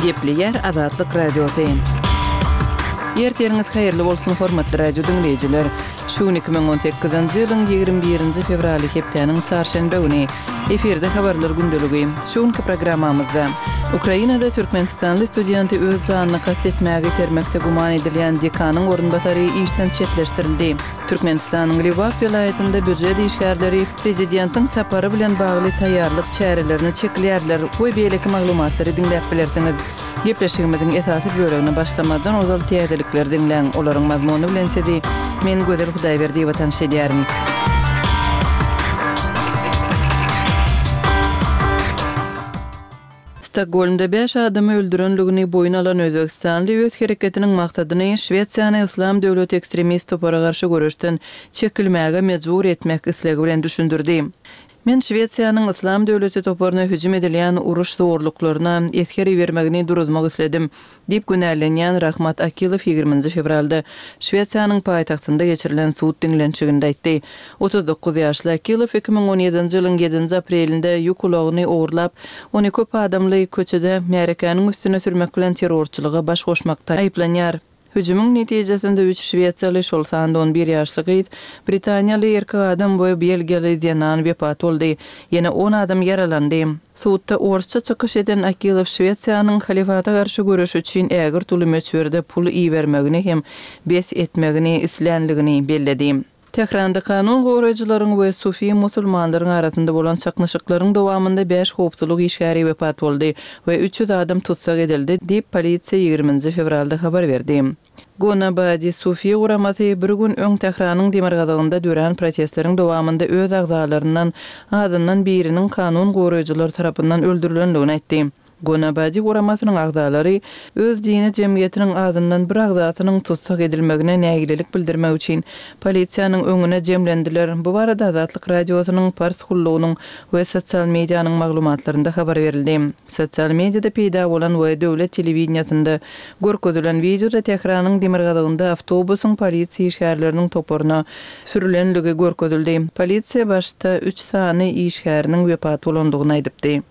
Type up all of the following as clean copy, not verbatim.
Gepleýär Azatlyk Radiosy. Ertiriňiz haýyrly bolsun, hormatly radio diňleýjiler! Şu gün 2018-nji ýylyň 21-nji fewraly hepdäniň çarşenbe güni. Efirde habarlar gündeligi. Şu günki programmamyzda Ukrainada türkmenistanly studenti öz janyna kast etmäge itermekde güman edilýän dekanyň orunbasary işden çetleşdirildi. Türkmenistanyň Lebap welaýatynda býujet işgärleri prezidentiň sapary bilen bagly taýýarlyk çärelerine çekilýärler we beýleki maglumatlary diňläp bilersiňiz. Gepleşigimiziň esasy bölegine başlamazdan ozal täzelikleri diňläň, olaryň mazmuny bilen sizi men Gözel Hudaýberdiýewa tanyş edýärin. Stokgolmda bäş adamy öldürenligini boýun alan özbegistanly öz hereketiniň maksadyny Şwesiýany Yslam döwleti ekstremist topara garşy göreşden çekilmäge mejbur etmek islegi bilen düşündirdi. Men Şwesiýanyň Yslam döwleti toparyna hüjüm edilýän uruş zorluklaryna esger ibermegini duruzmak isledim, diýip günälenýän Rahmat Akilow ýigriminji fewralda Şwesiýanyň paýtagtynda geçirilen sud diňlenişiginde aýtdy. 39 ýaşly Akilow 2017-nji ýylyň ýedinji aprelinde ýük ulagyny ogurlap, ony köp adamly köçede märekäniň üstüne sürmek bilen terrorçylyga baş goşmakda aýyplanýar. Hüjümiň netijesinde üç şwesiýaly, şol sanda on bir ýaşly gyz, britaniýaly erkek adam we belgiýaly zenan wepat boldy. Ýene on adam ýaralandy. Sudda orsça çykyş eden Akilow Şwesiýanyň halyfata garşy göreş üçin ägirt uly möçberde pul ibermegini hem bes etmegini islänligini belledi. Tähranda kanun goraýjylaryň we sufi musulmanlaryň arasynda bolan çaknyşyklaryň dowamynda bäş howpsuzlyk işgäri wepat boldy we 300 adam tussag edildi diýip, polisiýa ýigriminji fewralda habar berdi. Gonabadi sufi guramasy bir gün öň Tähranyň demirgazygynda dörän protestleriň dowamynda öz agzalaryndan azyndan biriniň kanun goraýjylar tarapyndan öldürilendigini aýtdy. Gonabadi guramasynyň agzalary öz dini jemgyýetiniň azyndan bir agzasynyň tussag edilmegine nägilelik bildirmek üçin polisiýanyň öňüne jemlendiler. Bu barada Azatlyk Radiosynyň Pars gullugynyň we sosial medianyň maglumatlarynda habar berildi. Sosial mediada peýda bolan we döwlet telewideniýesinde görkezilen wideoda Tähranyň demirgazygynda awtobusyň polisiýa işgärleriniň toparyna sürülenligi görkezildi. Polisiýa başda üç sany işgäriniň wepat bolandygyny aýdypdy.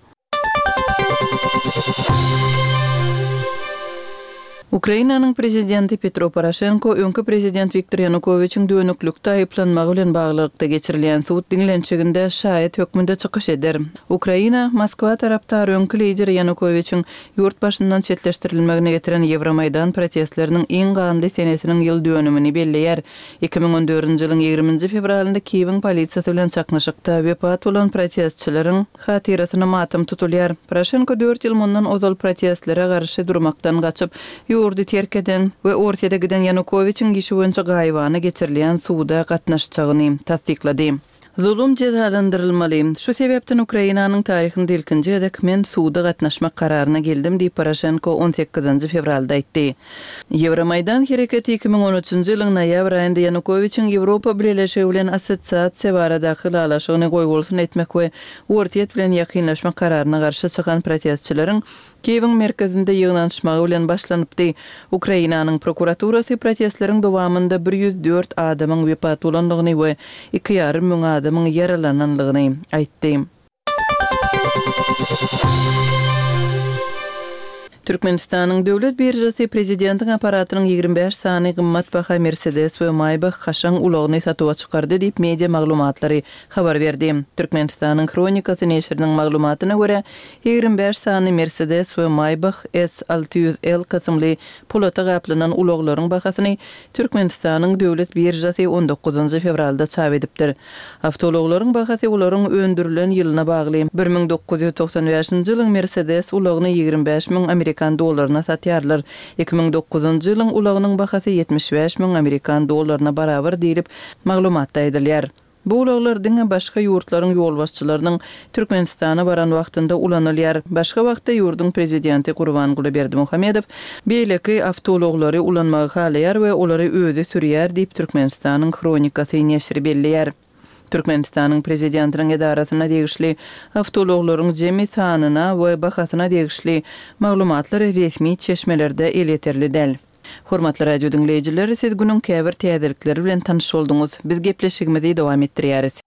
Ukrainanyň prezidenti Petro Poroşenko öňki prezident Wiktor Ýanukowiçiň dönüklikde aýyplanmagy bilen baglylykda geçirilýän sud diňlenişiginde şaýat hökmünde çykyş eder. Ukraina, Moskwa tarapdary öňki lider Ýanukowiçiň ýurt başyndan çetleşdirilmegine getiren Ýewromaýdan protestleriniň iň ganly senesiniň ýyl dönümini belleýär. 2014-nji ýylyň ýigriminji fewralynda Kiýewiň polisiýasy bilen çaknyşykda wepat bolan protestçileriň hatyrasyna matam tutulýar. Poroşenko dört ýyl mundan ozal protestlere garşy durmakdan gaçyp, ýurdy terk eden we Orsýete giden Ýanukowiçiň işi boýunça gaýybana geçirilýän suda gatnaşjagyny tassyklady. Zulum jezalandyrylmaly. Şu sebäpden Ukrainanyň taryhynda ilkinji gezek men suda gatnaşmak kararyna geldim diýip, Poroşenko on sekizinji fewralda aýtdy. Ýewromaýdan hereketi 2013-nji ýylyň noýabr aýynda Ýanukowiçiň Ýewropa Bileleşigi bilen assosiasiýa baradaky ylalaşygyny goýbolsun etmek we Orsýet bilen ýakynlaşmak kararyna garşy çykan protestçileriň Kiýewiň merkezinde ýygnanyşmagy bilen başlanypdy. Ukrainanyň prokuraturasy protestleriň dowamynda 104 adamyň wepat bolandygyny we iki ýarym müň adamyň ýaralanandygyny aýtdy. Türkmenistanyň Döwlet biržasy prezidentiň apparatynyň 25 sany gymmatbaha Mercedes we Maybach kaşaň ulagyny satuwa çykardy diýip, media maglumatlary habar berdi. Türkmenistanyň Hronikasy neşiriniň maglumatyna görä, 25 sany Mercedes we Maybach S 600 L kysymly polata gaplanan ulaglaryň bahasyny Türkmenistanyň Döwlet biržasy on dokuzynjy fewralda çap edipdir. Awtoulaglaryň bahasy olaryň öndürilen ýylyna bagly. 1995-nji ýylyň Mercedes ulagyny 25 müň amerikan dollaryna satýarlar. 2009-njy ýylyň ulagynyň bahasy 75 müň amerikan dollaryna barabar diýlip, maglumatda aýdylýar. Bu ulaglar diňe başga ýurtlaryň ýolbaşçylarynyň Türkmenistana baran wagtynda ulanylýar. Başga wagtda ýurduň prezidenti Gurbanguly Berdimuhamedow beýleki awtoulaglary ulanmagy halaýar we olary özi sürýär diýip, Türkmenistanyň Hronikasy neşiri belleýär. Türkmenistanyň prezidentiniň edarasyna degişli awtoulaglaryň jemi sanyna we bahasyna degişli maglumatlar resmi çeşmelerde elýeterli däl. Hormatly radio diňleýjiler, siz günüň käbir täzelikleri bilen tanyş bolduňyz. Biz gepleşigimizi dowam etdirýäris.